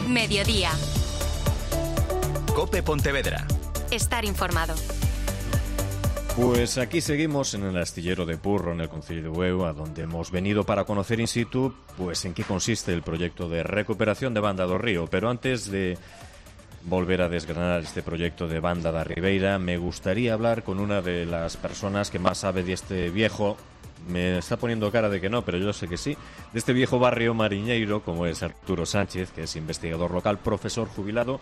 Mediodía. COPE Pontevedra. Estar informado. Pues aquí seguimos en el astillero de Purro, en el concello de Bueu, a donde hemos venido para conocer in situ pues en qué consiste el proyecto de recuperación de Banda do Río. Pero antes de volver a desgranar este proyecto de Banda da Ribeira, me gustaría hablar con una de las personas que más sabe de este viejo, me está poniendo cara de que no, pero yo sé que sí, de este viejo barrio mariñeiro, como es Arturo Sánchez, que es investigador local, profesor jubilado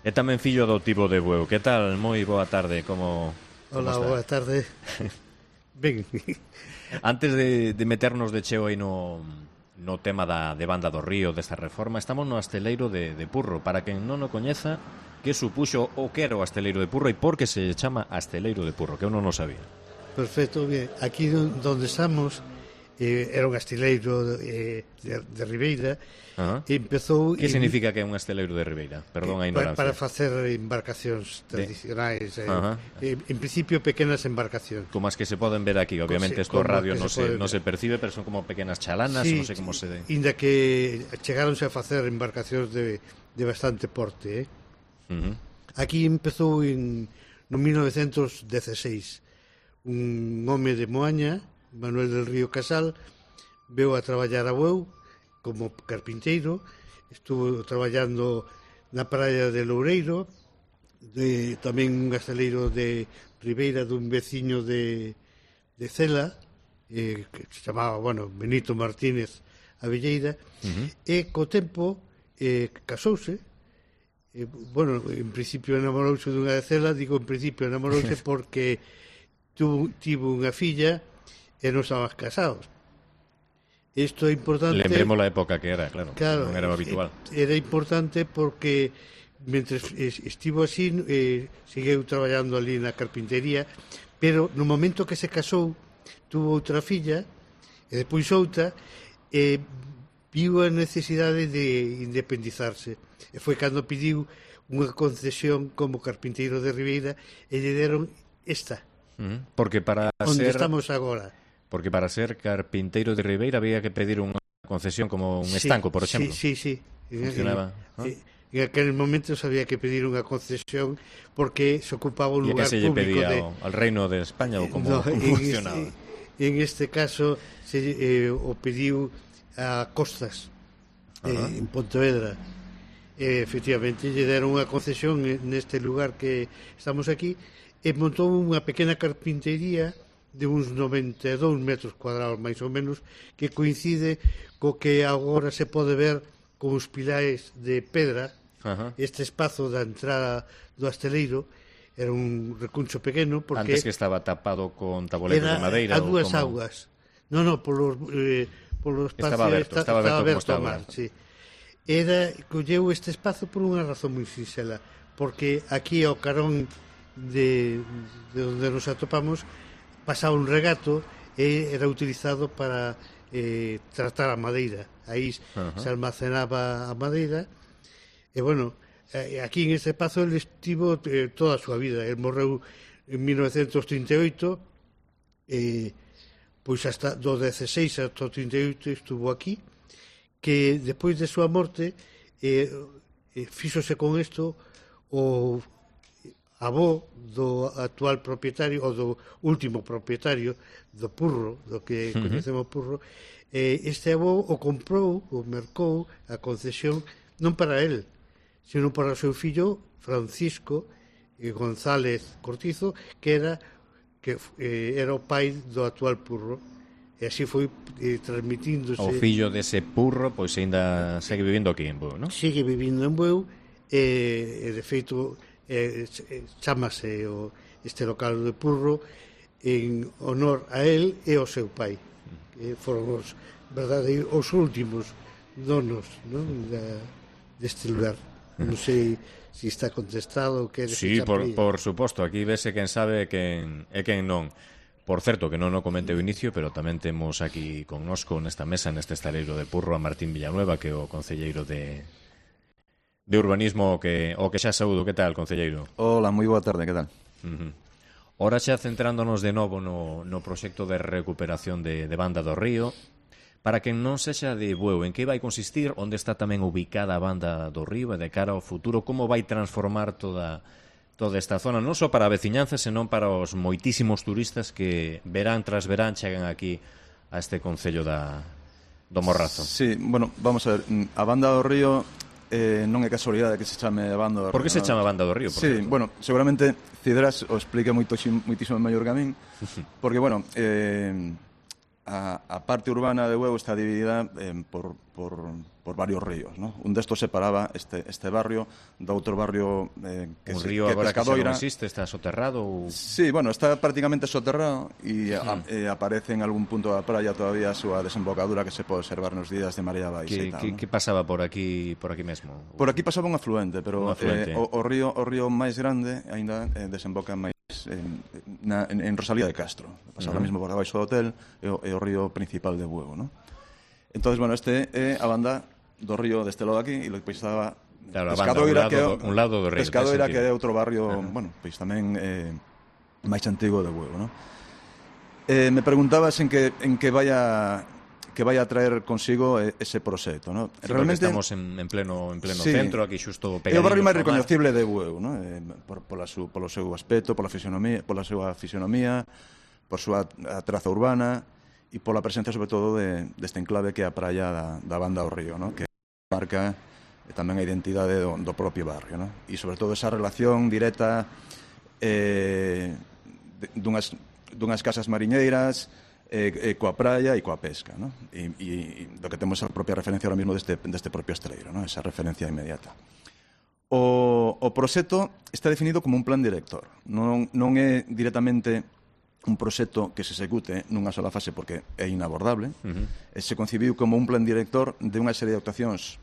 e tamén fillo adoptivo de Bueu. Que tal? Moi boa tarde, como Hola, boa tarde. Ben. Antes de meternos de cheo aí no tema de Banda do Río, desta reforma, estamos no asteleiro de Purro. Para quen non o coñeza, que supuxo o que era o asteleiro de Purro e por que se chama asteleiro de Purro, que eu non o sabía. Perfecto, bien. Aquí donde estamos era un asteleiro de Ribeira. E empezou... Que significa que é un asteleiro de Ribeira? Perdón a ignorancia. Para facer embarcacións tradicionais. En principio, pequenas embarcacións. Como as que se poden ver aquí. Obviamente, esto radio non se percibe, pero son como pequenas chalanas, non sei como se... Inda que chegáronse a facer embarcacións de bastante porte. Aquí empezou no 1916. Un home de Moaña, Manuel del Río Casal, veu a traballar a Bueu como carpinteiro, estuvo traballando na praia de Loureiro, tamén un asteleiro de Ribeira dun veciño de Cela, que se chamaba, Benito Martínez Abelleira, e co tempo casouse. En principio enamorouse dunha de Cela, digo en principio enamorouse porque tivo unha filla e non estaban casados. Isto é importante. Lembremos a época que era, claro non era habitual. Era importante porque mentres estivo así seguiu traballando ali na carpintería, pero no momento que se casou tuvo outra filla e depois outra, e viu a necesidade de independizarse, e foi cando pediu unha concesión como carpinteiro de Ribeira e lle deron esta. Porque para onde estamos agora. Porque para ser carpinteiro de Ribeira había que pedir unha concesión como un estanco, por exemplo. Sí. Funcionaba. En aquel momento se había que pedir unha concesión porque se ocupaba un lugar público. ¿Y a qué se le pedía? ¿Al Reino de España o cómo funcionaba? En este caso o pediu a Costas, en Pontevedra. Efectivamente, lle deron unha concesión neste lugar que estamos aquí, e montou unha pequena carpintería de uns 92 metros cuadrados, máis ou menos, que coincide co que agora se pode ver con os pilares de pedra. Este espazo da entrada do asteleiro era un recuncho pequeno, porque... Antes que estaba tapado con tabuleros de madeira. A dúas augas. Non, polo espacio... Estaba aberto ao mar, sí. Colleu este espazo por unha razón moi sinxela, porque aquí ao carón de onde nos atopamos pasaba un regato e era utilizado para tratar a madeira. Aí se almacenaba a madeira e aquí en este espazo ele estivo toda a súa vida. Ele morreu en 1938 pois hasta do 16 hasta o 38 estuvo aquí, que depois de súa morte fíxose con isto o avó do actual propietario, ou do último propietario do Purro, do que conhecemos Purro. Este avó o comprou, o mercou a concesión non para él, sino para o seu fillo Francisco González Cortizo, que era o pai do actual Purro, e así foi transmitíndose. O fillo dese Purro pois ainda segue vivindo aquí en Bueu, non? Sigue vivindo en Bueu, e de feito chámase este local de Purro en honor a él e ao seu pai, que foron os últimos donos, non, deste lugar. Non sei se está contestado ou que... Sí, por suposto, aquí vese quen sabe e quen non. Por certo, que non o comente o inicio, pero tamén temos aquí connosco nesta mesa, neste estaleiro de Purro, a Martín Villanueva, que é o concelleiro de urbanismo, o que xa saúdo. Que tal, concelleiro? Hola, moi boa tarde, que tal? Ora xa centrándonos de novo no proxecto de recuperación de Banda do Río, Para quen non sexa de Bueu, en que vai consistir, onde está tamén ubicada a Banda do Río e de cara ao futuro, como vai transformar toda esta zona, non só para a veciñanza, senón para os moitísimos turistas que verán tras verán chegan aquí a este concello do Morrazo. Sí, bueno, vamos a ver, a Banda do Río non é casualidade que se chame a Banda do Río. Por que se chama Banda do Río? Sí, bueno, seguramente Cidras o explica moitísimo mellor que a min, porque, bueno, a parte urbana de Bueu está dividida por varios ríos, ¿no? Un destos separaba este barrio do outro barrio que un río agora que xa non existe, está soterrado ou... Sí, bueno, está prácticamente soterrado e aparece en algún punto da praia todavía a súa desembocadura que se pode observar nos días de marea baixa e tal, ¿no? Que pasaba por aquí mesmo? Por aquí pasaba un afluente, pero o río máis grande aínda desemboca máis en Rosalía de Castro, pasaba mesmo por abaixo do hotel e o río principal de Bueu, ¿no? Entonces, bueno, este é a banda do río deste lado aquí e logo estaba Pescadoira, un lado do río. Pescadoira, que é outro barrio, bueno, pois tamén máis antigo de Bueu, ¿no? Me preguntabas en que vai a traer consigo ese proxecto, ¿no? Sí, realmente estamos en pleno sí, centro, aquí xusto pegadinho. É o barrio máis recoñecible de Bueu, ¿no? Polo seu aspecto, pola súa fisionomía, por súa traza urbana e pola presencia, sobre todo, deste enclave que é a praia da Banda do Río, ¿no? Que marca tamén a identidade do propio barrio, ¿no? E, sobre todo, esa relación directa dunhas casas mariñeiras coa praia e coa pesca, ¿no? E do que temos a propia referencia ahora mismo deste propio estreiro, ¿no? Esa referencia inmediata. O proxecto está definido como un plan director. Non é directamente un proxecto que se execute nunha sola fase porque é inabordable. Se concibiu como un plan director de unha serie de actuacións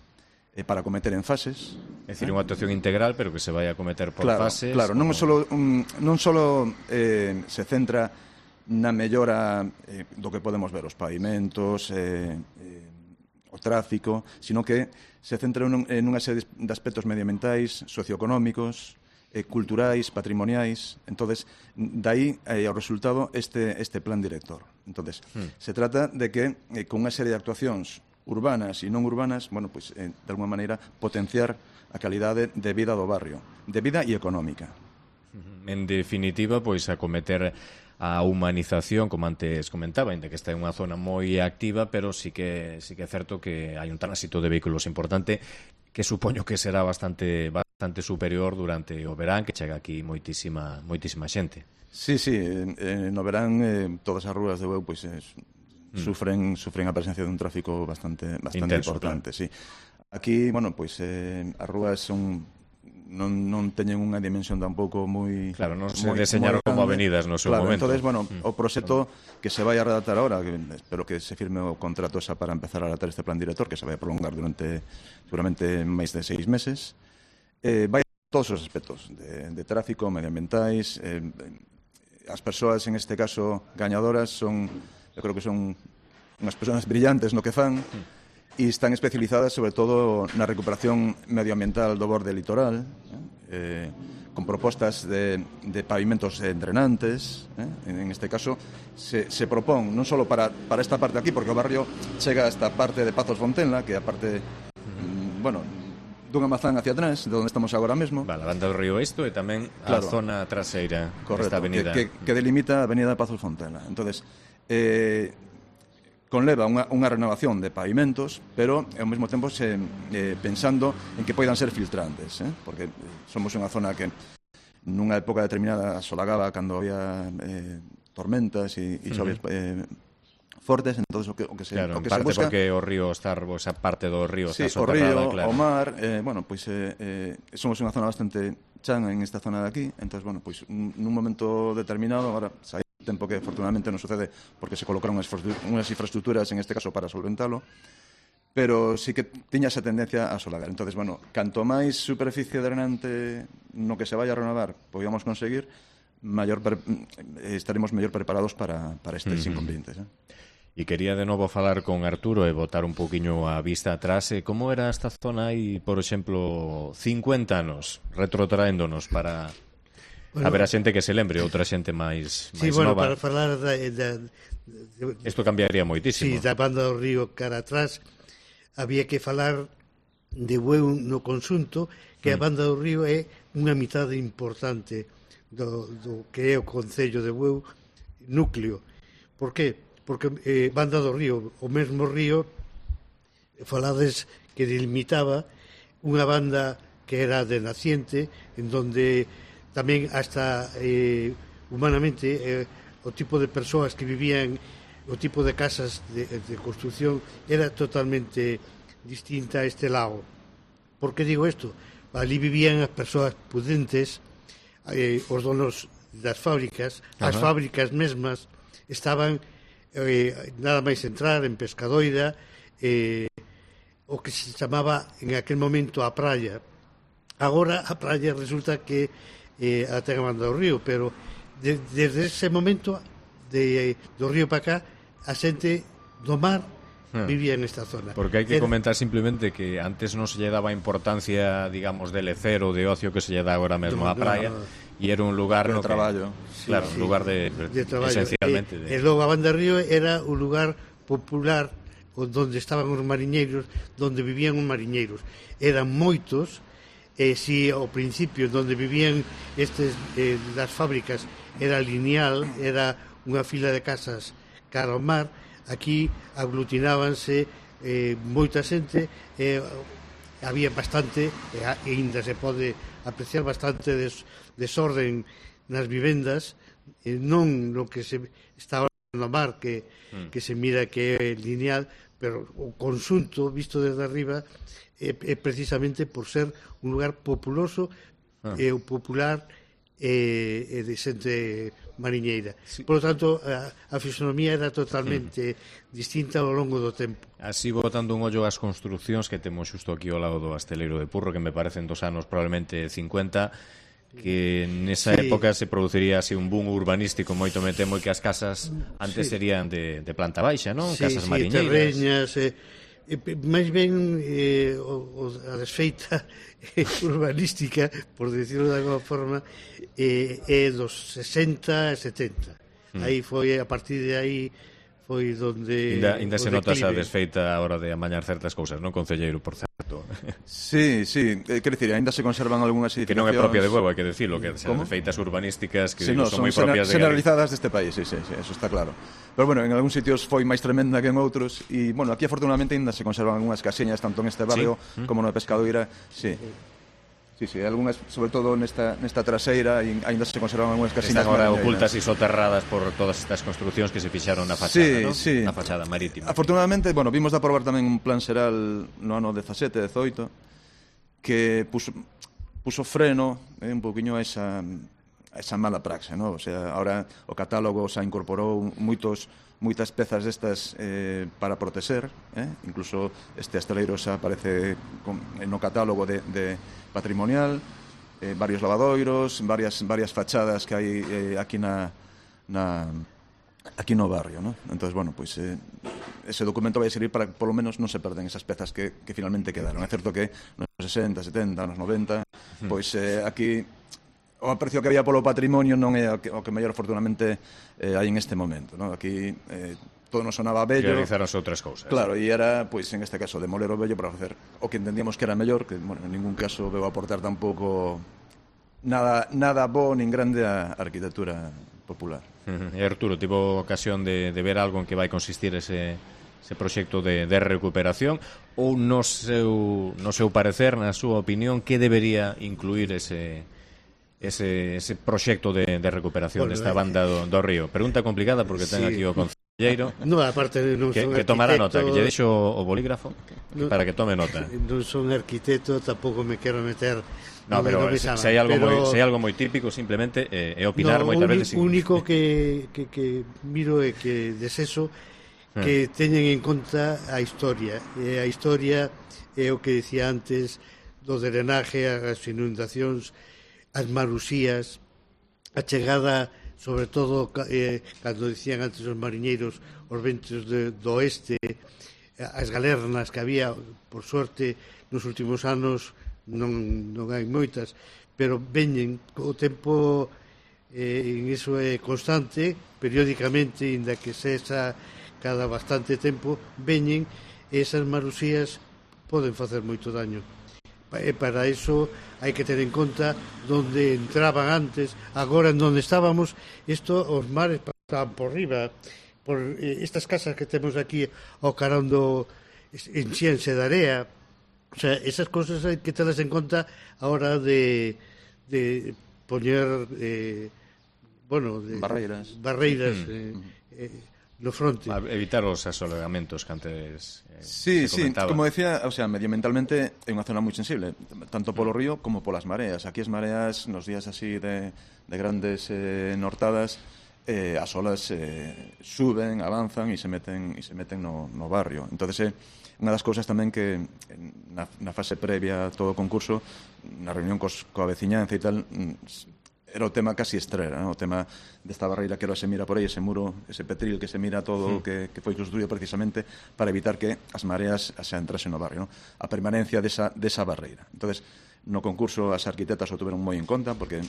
para cometer en fases. É dicir, unha actuación integral, pero que se vai a cometer por fases. Claro, non só se centra na mellora do que podemos ver, os pavimentos, o tráfico, sino que se centra en unha serie de aspectos medioambientais, socioeconómicos, culturais, patrimoniais. Entonces, dai ao resultado este plan director. Entonces, se trata de que con unha serie de actuacións urbanas e non urbanas, bueno, pues, de alguma maneira potenciar a calidade de vida do barrio, de vida e económica. En definitiva, pois acometer a humanización, como antes comentaba, ainda que está en unha zona moi activa, pero sí que é certo que hai un tránsito de vehículos importante que supoño que será bastante superior durante o verán, que chega aquí moitísima xente. Sí, no verán todas as rúas de Bueu pois sufren a presencia dun tráfico bastante intenso, importante, claro. Sí. Aquí, bueno, pois as rúas non teñen unha dimensión tampouco moi... Claro, non se deseñaron como avenidas no seu momento. Entonces, bueno, o proxecto que se vai a redactar ahora, que espero que se firme o contrato esa para empezar a redactar este plan director, que se vai a prolongar durante seguramente máis de 6 meses, vai a todos os aspectos de tráfico, medioambientais. As persoas, en este caso, gañadoras, eu creo que son unhas persoas brillantes no que fan, e están especializadas sobre todo na recuperación medioambiental do borde litoral, con propostas de pavimentos drenantes. En este caso se propón non só para esta parte aquí, porque o barrio chega a esta parte de Pazos Fontenla, que é a parte dunha mazán hacia atrás, de onde estamos agora mesmo. Vale, a Banda do Río Oeste e tamén a zona traseira desta avenida. Que delimita a avenida de Pazos Fontenla. Entonces, conleva unha renovación de pavimentos, pero ao mesmo tempo pensando en que poidan ser filtrantes, porque somos unha zona que nunha época determinada asolagaba cando había tormentas e choves fortes, entonces o que se claro, o que parte se busca porque o río está, esa parte do río sí, está soterrada, o río, claro. o mar, bueno, pois somos unha zona bastante chan en esta zona de aquí, entonces bueno, pois nun momento determinado, agora sai tempo que afortunadamente non sucede porque se colocaron unhas infraestructuras en este caso para solventalo, pero sí que tiña esa tendencia a solagar. Entonces, bueno, canto máis superficie drenante no que se vaya a renovar podíamos conseguir, estaremos mellor preparados para estes inconvenientes. E quería de novo falar con Arturo e botar un poquinho a vista atrás. Como era esta zona aí, por exemplo, 50 anos, retrotraéndonos para Haberá xente que se lembre, outra xente máis sí, bueno, nova. para falar Isto cambiaría moitísimo. Sí, da Banda do Río cara atrás, había que falar de Bueu no conxunto, que a Banda do Río é unha mitade importante do que é o Concello de Bueu núcleo. Por qué? Porque Banda do Río, o mesmo río, falades que delimitaba unha banda que era de naciente, en donde tamén hasta humanamente o tipo de persoas que vivían, o tipo de casas de construcción era totalmente distinta a este lado. Por que digo isto? Ali vivían as persoas pudentes, os donos das fábricas, as fábricas mesmas estaban nada máis entrar en Pescadoira, o que se chamaba en aquel momento a praia. Agora a praia resulta que a ten a Banda do Río, pero desde ese momento do río para cá a xente do mar vivía en esta zona. Porque hai que comentar simplemente que antes non se lle daba importancia, digamos, de lecer ou de ocio que se lle dá agora mesmo á praia, e era un lugar de traballo. Claro, un lugar de traballo, esencialmente. E logo a Banda do Río era un lugar popular onde estaban os mariñeiros, onde vivían os mariñeiros. Eran moitos. Si ao principio onde vivían estes das fábricas era lineal, era unha fila de casas cara ao mar, aquí aglutinábanse moita xente, había bastante, e ainda se pode apreciar bastante desorden nas vivendas, non no que se está no mar que se mira que é lineal, pero o conxunto visto desde arriba é precisamente por ser un lugar populoso e o popular e de xente mariñeira. Sí. Por lo tanto, a fisonomía era totalmente distinta ao longo do tempo. Así, botando un ollo ás construccións que temos xusto aquí ao lado do Asteleiro de Purro, que me parecen dos anos probablemente 50, que nesa época se produciría así un boom urbanístico moito me temo, e que as casas antes serían de planta baixa, non? Casas mariñeiras. Terreñas, máis ben a desfeita urbanística, por decirlo de alguma forma, é dos 60 e 70. Aí foi, a partir de aí foi donde ainda se nota esa desfeita a hora de amañar certas cousas, non, concelleiro, por certo? Sí, quer dicir, ainda se conservan algunhas edificacións que non é propia de Bueu, hai que decirlo, que as desfeitas urbanísticas que son moi propias de generalizadas deste país, sí, eso está claro. Pero bueno, en algúns sitios foi máis tremenda que en outros, e bueno, aquí afortunadamente ainda se conservan algunhas casiñas tanto en este barrio como no de Pescadoira, sí. Sí, algunhas, sobre todo nesta traseira, e ainda se conservan algunhas casiñas. Están agora ocultas e soterradas por todas estas construcións que se fixaron na fachada, ¿no? Sí. Na fachada marítima. Afortunadamente, bueno, vimos de aprobar tamén un plan xeral no ano 17-18 que puso freno un pouquiño a esa mala praxe, ¿no? O sea, ahora o catálogo xa incorporou moitas pezas destas para proteger, incluso este asteleiro xa aparece no catálogo de patrimonial, varios lavadoiros, varias fachadas que hai aquí aquí no barrio, ¿no? Entonces, bueno, pues ese documento vai servir para que polo menos non se perden esas pezas que finalmente quedaron. É certo que nos 60, 70, nos 90, pois aquí o aprecio que había polo patrimonio non é o que mellor afortunadamente hai en este momento, ¿no? Aquí todo nos sonaba bello. Realizaronse outras cousas. Claro, e era, pois, en este caso, demoler o bello para facer o que entendíamos que era mellor, que, bueno, en ningún caso veu aportar tampouco nada bo nin grande a arquitectura popular. E Arturo, tivo ocasión de ver algo en que vai consistir ese proxecto de recuperación, ou no seu parecer, na súa opinión, que debería incluir ese proxecto de recuperación desta Banda do Río? Pregunta complicada porque ten aquí o concelleiro. No, aparte non son que tomará nota, que lle deixo o bolígrafo para que tome nota. Non son arquitecto, tampouco me quero meter. No, pero se hai algo moi típico, simplemente é opinar moitas veces. O único que miro é que deseso que teñen en conta a historia. A historia é o que dicía antes do drenaje, as inundacións, as marusías, a chegada, sobre todo cando dicían antes os mariñeiros, os ventos do oeste, as galernas que había, por suerte, nos últimos anos non hai moitas, pero veñen, o tempo en iso é constante, periódicamente, inda que sexa cada bastante tempo, veñen, e esas marusías poden facer moito daño. E para iso hai que ter en conta onde entraban antes, agora en onde estábamos, os mares pasaban por riba, por estas casas que temos aquí ao carón enxíanse de area. O sea, esas cosas hai que telas en conta a hora de poñer barreiras no fronte. Para evitar os asolegamentos que antes sí, se comentaba. como decía, o sea, medioambientalmente é unha zona moi sensible, tanto polo río como polas mareas. Aquí as mareas, nos días así de grandes nortadas, as olas suben, avanzan e se meten no barrio. Entonces, unha das cousas tamén que na fase previa a todo o concurso, na reunión coa veciñanza e tal, era o tema casi estrela, ¿no? O tema desta barreira que se mira por aí, ese muro, ese petril que se mira todo que foi construído precisamente para evitar que as mareas se entrasen no barrio, ¿no? A permanencia desa barreira. Entonces, no concurso as arquitectas o tuveron moi en conta porque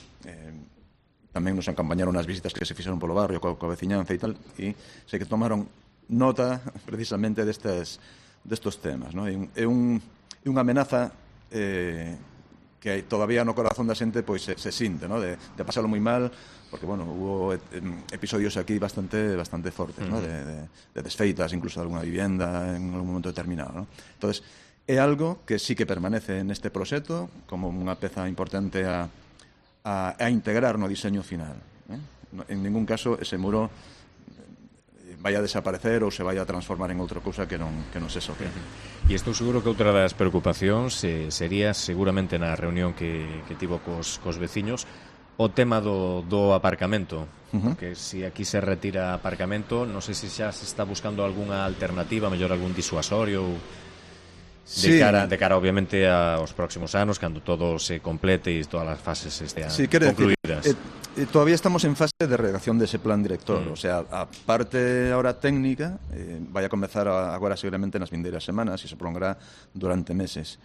tamén nos acompañaron as visitas que se fixeron polo barrio coa veciñanza e tal, e sei que tomaron nota precisamente destos temas, ¿no? É unha amenaza que todavía no corazón da xente pois se sinte, ¿no? De pasalo moi mal, porque, bueno, hubo episodios aquí bastante fortes, ¿no? De desfeitas, incluso de alguna vivienda en algún momento determinado, ¿no? Entonces, é algo que sí que permanece neste proxecto como unha peza importante a integrar no diseño final, ¿eh? En ningún caso ese muro vai a desaparecer ou se vai a transformar en outra cousa que non se soque. E estou seguro que outra das preocupacións sería seguramente na reunión que tivo cos veciños o tema do aparcamento, porque se aquí se retira aparcamento, non sei se xa se está buscando algunha alternativa, mellor algún disuasorio de cara obviamente aos próximos anos, cando todo se complete e todas as fases estean concluídas. Todavía estamos en fase de redacción dese plan director, o sea, a parte ahora técnica vai a comezar agora seguramente nas vindeiras semanas e se prolongará durante meses.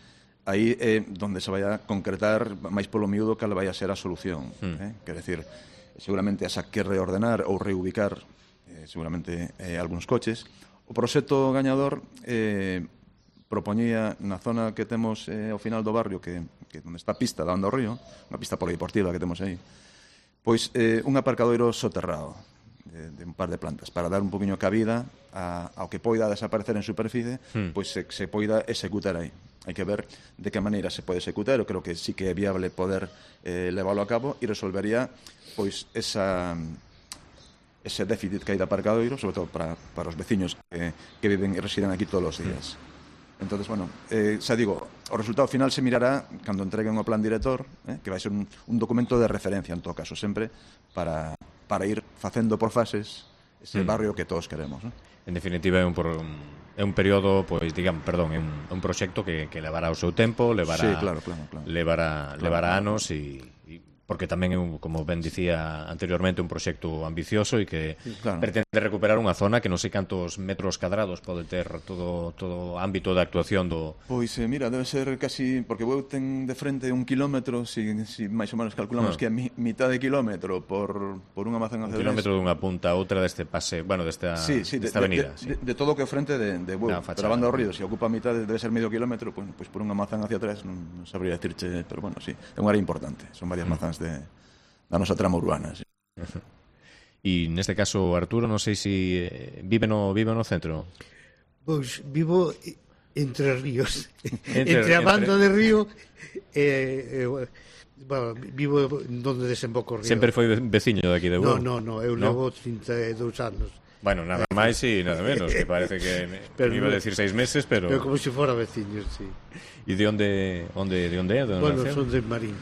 Aí é donde se vai a concretar máis polo miúdo cal vai a ser a solución, quer decir, seguramente asa que reordenar ou reubicar seguramente algúns coches. O proxecto gañador propoñía na zona que temos ao final do barrio, que onde está a pista dando ao río, unha pista polideportiva que temos aí, pois un aparcadoiro soterrado de un par de plantas para dar un poquinho cabida ao que poida desaparecer en superficie, pois se poida executar aí. Hai que ver de que maneira se pode executar. Eu creo que sí que é viable poder leválo a cabo e resolvería pois ese déficit que hai de aparcadoiro, sobre todo para os veciños que viven e residen aquí todos os días. Entonces, bueno, xa digo, o resultado final se mirará cando entreguen o plan director, que vai ser un documento de referencia, en todo caso, sempre, para ir facendo por fases ese barrio que todos queremos, ¿no? En definitiva, é un período, pois, é un proxecto que levará o seu tempo, levará anos e porque tamén é, como ben dicía anteriormente, un proxecto ambicioso e que pretende recuperar unha zona que non sei cantos metros cadrados pode ter todo o ámbito de actuación do... Pois, mira, debe ser casi... Porque Bueu ten de frente 1 kilómetro, si máis ou menos calculamos que é mitad de kilómetro por unha mazán hacia 1 kilómetro dunha punta a outra desta avenida. De todo o que é frente de Bueu. Pero a banda do río, se ocupa a mitad, debe ser medio kilómetro, pois por unha mazán hacia atrás, non sabría decirche, pero bueno, sí, é unha área importante, son varias mazáns da nosa trama urbana, sí. E neste caso, Arturo, non sei se vive no centro. Pois vivo entre ríos, entre a banda de río vivo onde desemboca o río. Sempre foi veciño daqui de Bueu? Non, eu levo 32 anos. Bueno, nada máis e nada menos, que parece que me iba a decir 6 meses, pero como se fora veciño, sí. E de onde é? Bueno, son de Marín,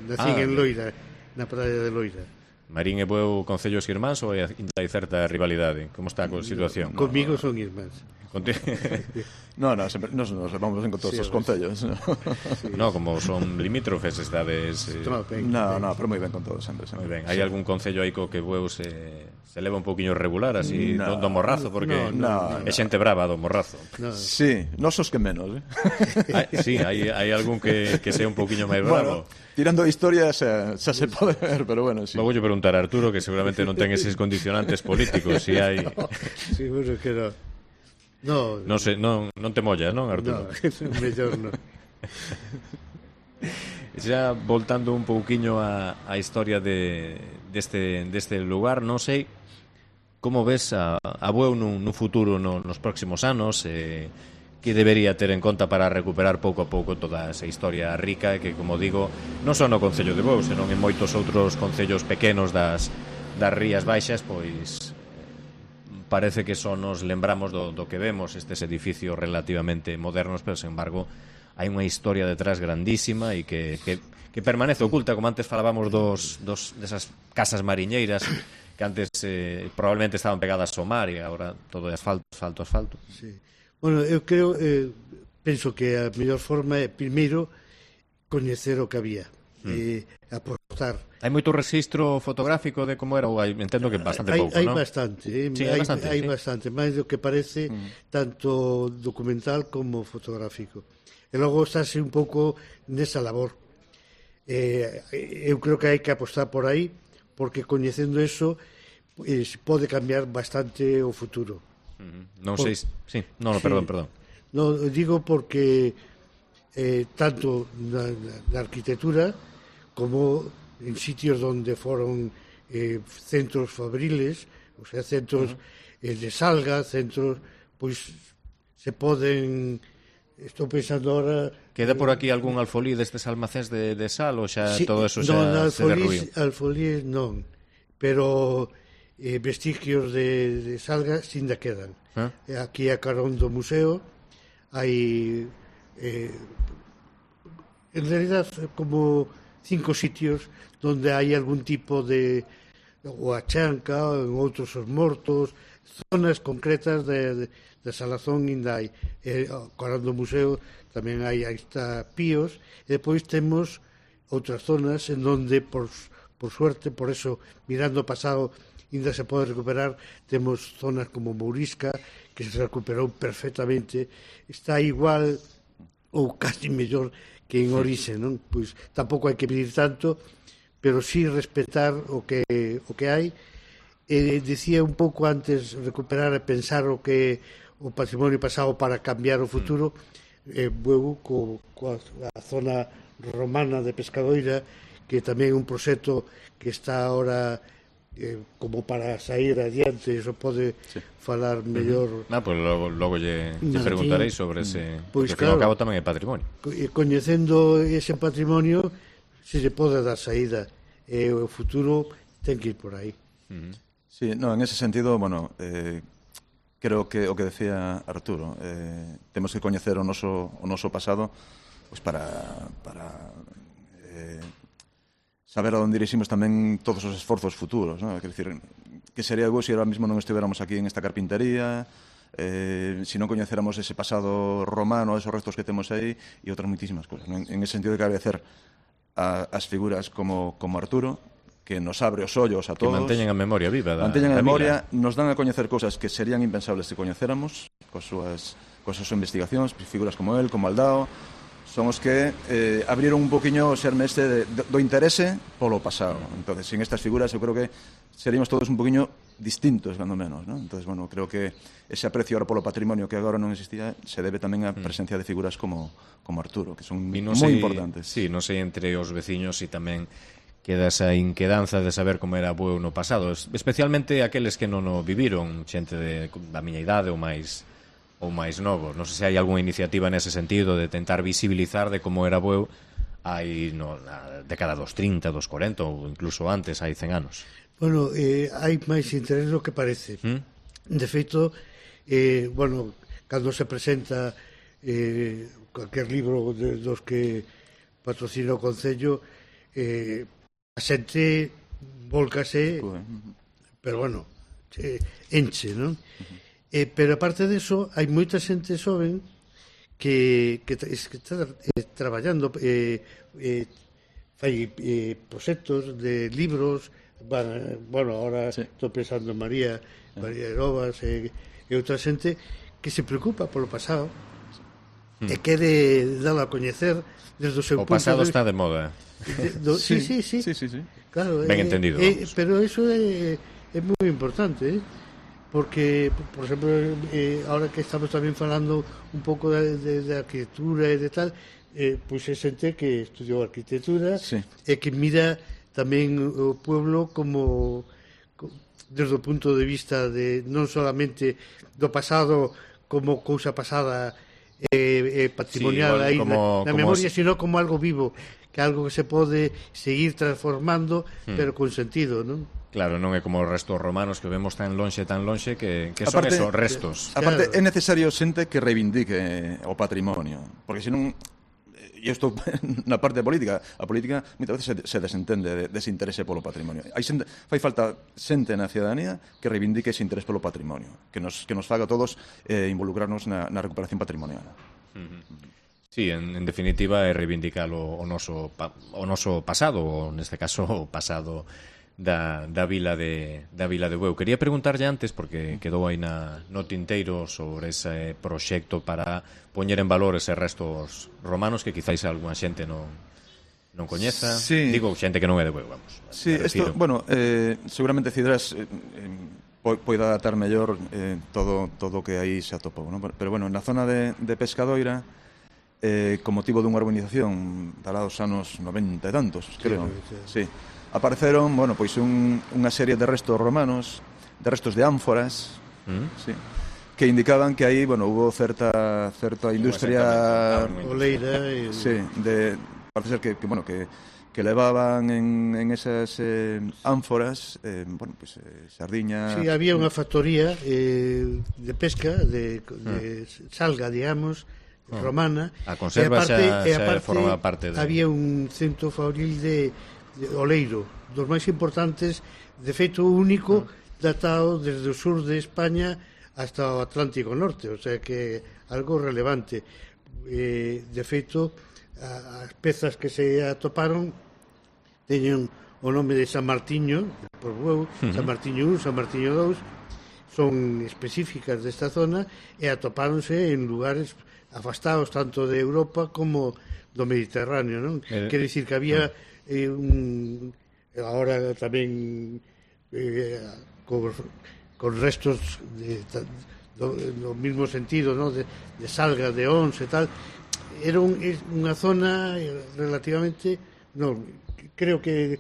nací en Loira, na praia de Loira. Marín e Bueu concellos irmáns ou hai certa rivalidade? Como está a situación? Comigo son irmáns. No, sempre nos levamos ben con todos os concellos. No, como son limítrofes, estades... No, pero moi ben con todos, sempre. Moi ben. Hai algún concello aí co que Bueu se leva un poquinho regular, así, do Morrazo, porque é xente brava do Morrazo. Sí, nosos que menos, Sí, hai algún que sea un poquinho máis bravo. Bueno, tirando a historia xa se pode ver, pero bueno, sí. Logo lle preguntar a Arturo, que seguramente non ten eses condicionantes políticos, si hai... Seguro que non. Non sei, non te mollas, non, Arturo? No, mellor non. Xa voltando un pouquiño a historia deste lugar, non sei como ves a Bueu nun futuro nos próximos anos, que debería ter en conta para recuperar pouco a pouco toda esa historia rica que, como digo, non só no Concello de Bueu, senón en moitos outros concellos pequenos das Rías Baixas, pois parece que só nos lembramos do que vemos, estes edificios relativamente modernos, pero, sen embargo, hai unha historia detrás grandísima e que permanece oculta, como antes falábamos desas casas mariñeiras que antes probablemente estaban pegadas ao mar e agora todo é asfalto. Sí. Bueno, eu penso que a mellor forma é, primeiro, coñecer o que había, aportar. Hai moito registro fotográfico de como era, ou entendo que bastante pouco, non? Hai bastante, hai bastante, máis do que parece, tanto documental como fotográfico. E logo estáse un pouco nesa labor. Eu creo que hai que apostar por aí, porque coñecendo eso pode cambiar bastante o futuro. Non sei, sí, perdón. No, digo porque tanto na arquitectura como en sitios donde foron centros fabriles, o sea, centros de salga, centros, pois se poden... Estou pensando ahora... Queda por aquí algún alfolí destes almacéns de sal ou xa todo eso xa se derruiu? Alfolí non, pero vestigios de salga sinda quedan. Aquí a carón do museo hai en realidad como 5 sitios donde hai algún tipo de ou a chanca, ou en outros os mortos, zonas concretas de Salazón ainda hai. Carón do museo tamén hai está Píos, e depois temos outras zonas en donde por suerte, por eso mirando o pasado ainda se pode recuperar. Temos zonas como Mourisca que se recuperou perfectamente, está igual ou casi mellor que en orixe, non? Pois tampouco hai que pedir tanto, pero sí respetar o que hai. Dicía un pouco antes, recuperar e pensar o que o patrimonio pasado para cambiar o futuro. Bueu coa zona romana de Pescadoira, que tamén é un proxecto que está ahora como para sair adiante, eso pode falar mellor. Pois logo lle preguntarei sobre ese, pois, porque ao cabo tamén é patrimonio. Coñecendo ese patrimonio, se lle pode dar saída, e o futuro ten que ir por aí. Sí, no, en ese sentido, bueno, creo que o que decía Arturo, temos que coñecer o noso pasado, pois para saber a onde diriximos tamén todos os esforzos futuros, non? Quer dicir, que sería bo se ahora mismo non estivéramos aquí en esta carpintería, se non coñecéramos ese pasado romano, esos restos que temos aí, e outras muitísimas cousas. En ese sentido, de que agradecer as figuras como Arturo, que nos abre os ollos a todos. Que manteñen a memoria viva. Manteñen a memoria, nos dan a coñecer cousas que serían impensables se coñecéramos, coas súas investigacións, figuras como él, como Aldao, son os que abriron un poquinho o xerme do interese polo pasado. Entonces, sin estas figuras, eu creo que seríamos todos un poquinho distintos, cando menos, ¿no? Entonces, bueno, creo que ese aprecio ahora polo patrimonio que agora non existía se debe tamén á presencia de figuras como Arturo, que son moi importantes. Sí, non sei entre os veciños e tamén queda esa inquedanza de saber como era Bueu no pasado, especialmente aqueles que non o viviron, xente da miña idade ou máis novos. Non sei se hai algunha iniciativa nese sentido de tentar visibilizar de como era Bueu hai na década dos 30, dos 40 ou incluso antes, hai 100 anos. Bueno, hai máis interés do que parece. De feito, bueno, cando se presenta cualquier libro dos que patrocina o Concello, a xente volcase, pero bueno, enche, non? Pero aparte de eso, hai moita xente xoven que está traballando, fai proxectos de libros, bueno, ahora estou pensando en María Herovas e outra xente que se preocupa polo pasado e quere dalo a coñecer desde o seu punto. O pasado está de moda. Sí. Claro, ben entendido. Pero eso é moi importante, porque, por exemplo, ahora que estamos tamén falando un pouco de arquitectura e de tal, pois é xente que estudiou arquitectura e que mira tamén o pueblo como desde o punto de vista de non solamente do pasado como cousa pasada patrimonial aí na memoria, sino como algo vivo, que algo que se pode seguir transformando, pero con sentido, non? Claro, non é como os restos romanos que vemos tan lonxe que son esos restos. Aparte, é necesario xente que reivindique o patrimonio, porque senón, e isto na parte política, a política moitas veces se desentende dese interese polo patrimonio. Fai falta xente na ciudadanía que reivindique ese interés polo patrimonio, que nos faga a todos involucrarnos na recuperación patrimonial. Sí, en definitiva é reivindicar o noso pasado, ou neste caso o pasado da vila de Bueu. Quería preguntarlle antes, porque quedou aí no tinteiro sobre ese proxecto para poñer en valor eses restos romanos que quizáis algunha xente non coñeza. Digo, xente que non é de Bueu, vamos. Sí, isto, bueno, seguramente Cidras poida datar mellor todo o que aí se atopou, non? Pero bueno, na zona de Pescadoira, con motivo dunha urbanización dará dos anos 90 e tantos, creo. Sí. Apareceron, bueno, pois unha serie de restos romanos, de restos de ánforas, que indicaban que aí, bueno, hubo certa industria oleira parece ser que levaban en esas ánforas, bueno, pois sardiña. Sí, había unha factoría de pesca de salga, digamos, romana. A conserva xa forma parte de... Había un centro fabril de oleiro, dos máis importantes, de feito único, datado desde o sur de España hasta o Atlántico Norte, o sea que algo relevante. De feito, as pezas que se atoparon teñen o nome de San Martiño, por Bueu, San Martiño 1, San Martiño 2, son específicas desta zona e atopáronse en lugares afastados tanto de Europa como do Mediterráneo, non? Quere dicir que había ahora tamén con restos no mismo sentido, ¿no? de salga, de ons e tal. Era unha zona relativamente, creo que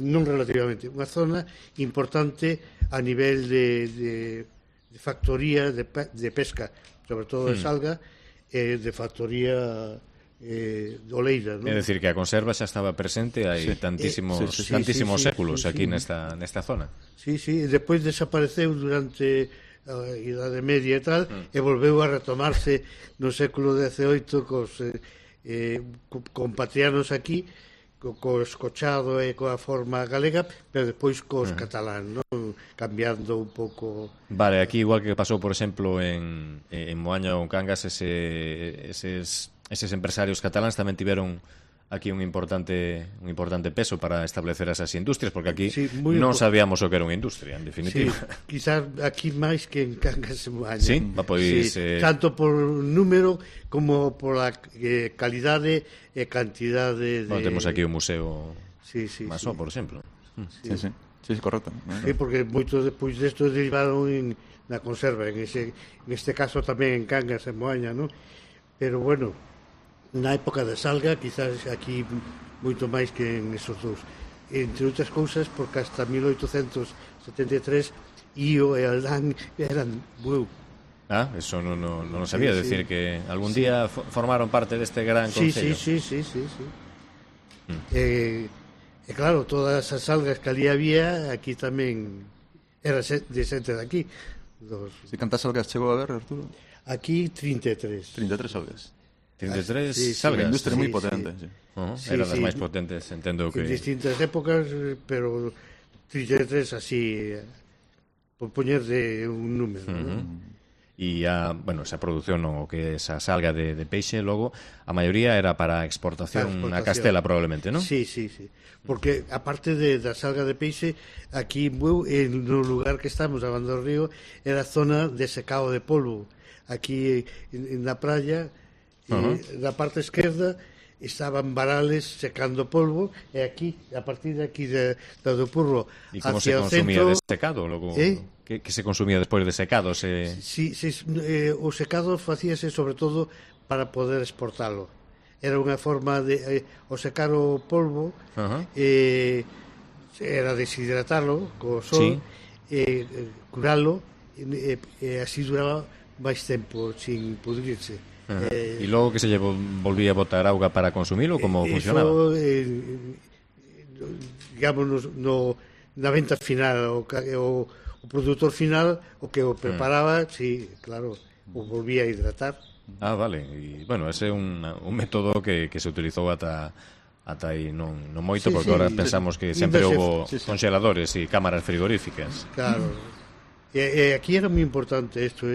non relativamente, unha zona importante a nivel de factoría de pesca, sobre todo de salga, de factoría de oleira, ¿no? É dicir, que a conserva xa estaba presente hai tantísimos séculos aquí nesta zona. Sí, despois desapareceu durante a Idade Media e tal, e volveu a retomarse no século XVIII cos compatrianos aquí, co escochado e coa forma galega, pero despois cos catalán, non? Cambiando un pouco. Vale, aquí igual que pasou, por exemplo, en Moaña ou en Cangas, eses empresarios cataláns tamén tiveron aquí un importante peso para establecer esas industrias, porque aquí non sabíamos o que era unha industria, en definitiva. Quizás aquí máis que en Cangas e Moaña. Sí, pois... tanto por número como por a calidade e cantidade de... Bueno, temos aquí o Museo Masó, por exemplo. Sí, correcto. Sí, porque moitos despois desto derivaron na conserva, en este caso tamén en Cangas e Moaña, non? Pero bueno, na época da salga, quizás aquí moito máis que en esos dous. Entre outras cousas, porque hasta 1873 Io e Aldán eran Bueu. Eso non sabía, decir que algún día formaron parte deste gran concello. Sí. E claro, todas as algas que ali había, aquí tamén era de xente de aquí. Se cantas algas chegou a ver, Arturo? Aquí 33 algas. 33 salgas. Unha industria moi potente. Era das máis potentes, entendo que... En distintas épocas, pero 33 así, por poñer de un número. E esa produción, o que esa salga de peixe, logo, a maioría era para exportación a Castela, probablemente, non? Sí. Porque, aparte da salga de peixe, aquí no lugar que estamos, a Banda do Río, era zona de secado de polvo. Aquí, na praia, na parte esquerda, estaban varales secando polvo, e aquí, a partir de aquí, do Purro, e como se consumía de secado, logo... Que se consumía despois de secado? O secado facíase sobre todo para poder exportalo. Era unha forma de o secar o polvo, era deshidratalo co sol, curalo, e así duraba máis tempo sin pudrirse. E logo que se lle volvía a botar auga para consumilo, como funcionaba? Digamos, na venta final, o produtor final, o que o preparaba, sí, claro, o volvía a hidratar. Vale, e, ese é un método que se utilizou ata aí non moito, porque agora pensamos que sempre houve congeladores e cámaras frigoríficas. Claro, e aquí era moi importante isto,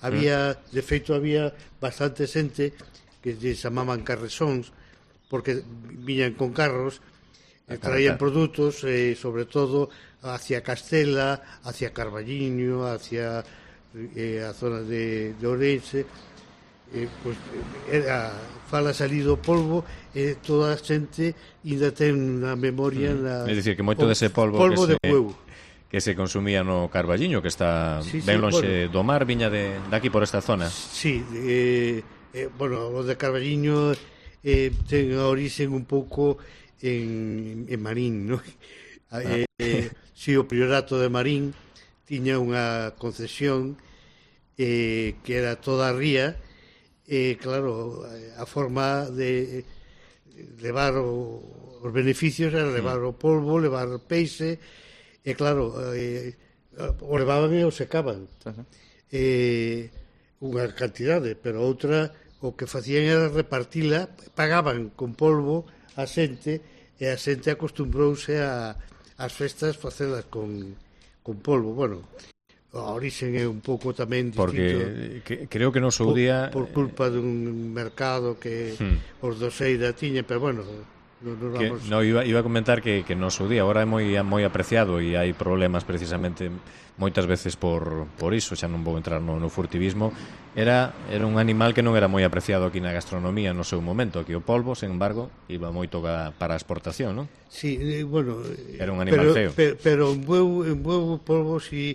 había, de feito, había bastante xente que se chamaban carresóns, porque viñan con carros, traían produtos, sobre todo hacia Castela, hacia Carballiño, hacia a zona de Ourense, fala salido polvo, e toda a xente ainda ten na memoria é dicir, que moito dese polvo que se consumía no Carballiño, que está ben lonxe do mar, viña de aquí por esta zona. Sí, o de Carballiño ten a orixen un pouco en Marín, non? O Priorato de Marín tiña unha concesión que era toda a ría, claro, a forma de levar os beneficios era levar o polvo, levar o peixe, e claro, o levaban e o secaban, unha cantidade, pero outra o que facían era repartila, pagaban con polvo a xente, e a xente acostumbrouse ás festas facelas con polvo. Bueno, a orixen é un pouco tamén distinto, porque creo que no seu día por culpa dun mercado que os doseira tiñen, pero bueno, iba a comentar que no seu día agora é moi apreciado, e hai problemas precisamente moitas veces por iso, xa non vou entrar no furtivismo. Era un animal que non era moi apreciado aquí na gastronomía no seu momento. Aquí o polvo, sen embargo, iba moito para a exportación, non? Sí, bueno, era un animal feo. Pero en bueu polvo sí.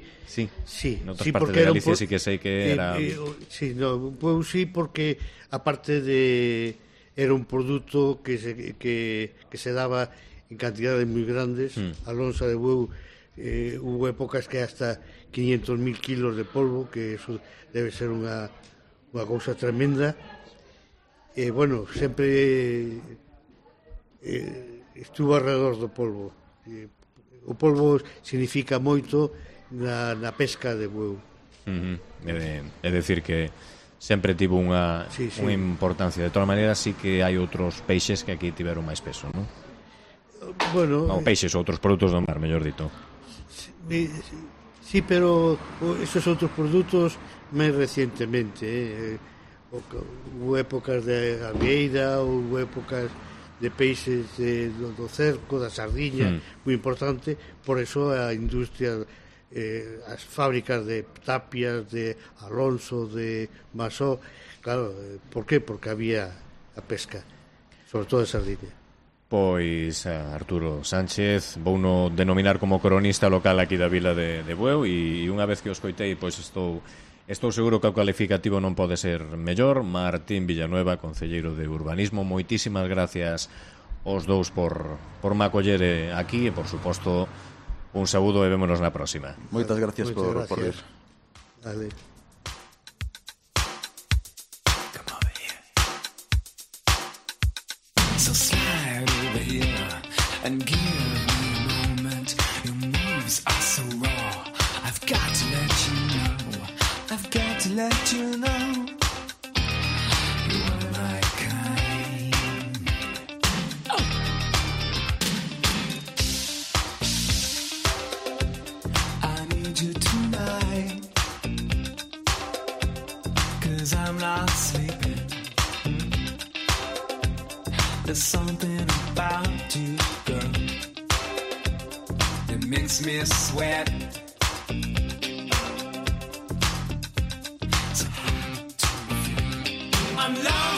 Noutras partes de Galicia sí que sei que era... bueu sí, porque aparte de... era un produto que se daba en cantidades moi grandes. A lonxa de bueu, hubo épocas que hasta 500.000 kilos de polvo, que eso debe ser unha cousa tremenda. Bueno, sempre estuvo alrededor do polvo. O polvo significa moito na pesca de bueu. É dicir que sempre tivo unha importancia. De todas maneiras, sí que hai outros peixes que aquí tiveron máis peso, non? Bueno, peixes ou outros produtos do mar, mellor dito. Sí, pero esos outros produtos máis recientemente, hubo épocas de avieira, hubo épocas de peixes do cerco, da sardiña, moi importante. Por eso a industria, as fábricas de Tapias, de Alonso, de Masó, claro, por qué? Porque había a pesca, sobre todo a sardiña. Pois Arturo Sánchez vouno denominar como cronista local aquí da vila de Bueu, e unha vez que o escoitei, pois estou seguro que o calificativo non pode ser mellor. Martín Villanueva, concelleiro de Urbanismo, moitísimas gracias aos dous por me acoller aquí, e por suposto un saúdo, e vémonos na próxima. Moitas gracias por vir. Vale. And give me a moment. Your moves are so raw. I've got to let you know. I've got to let you know. You are my kind. Oh. I need you tonight. There's something about you, girl, that makes me sweat. So hard to feel. I'm lost.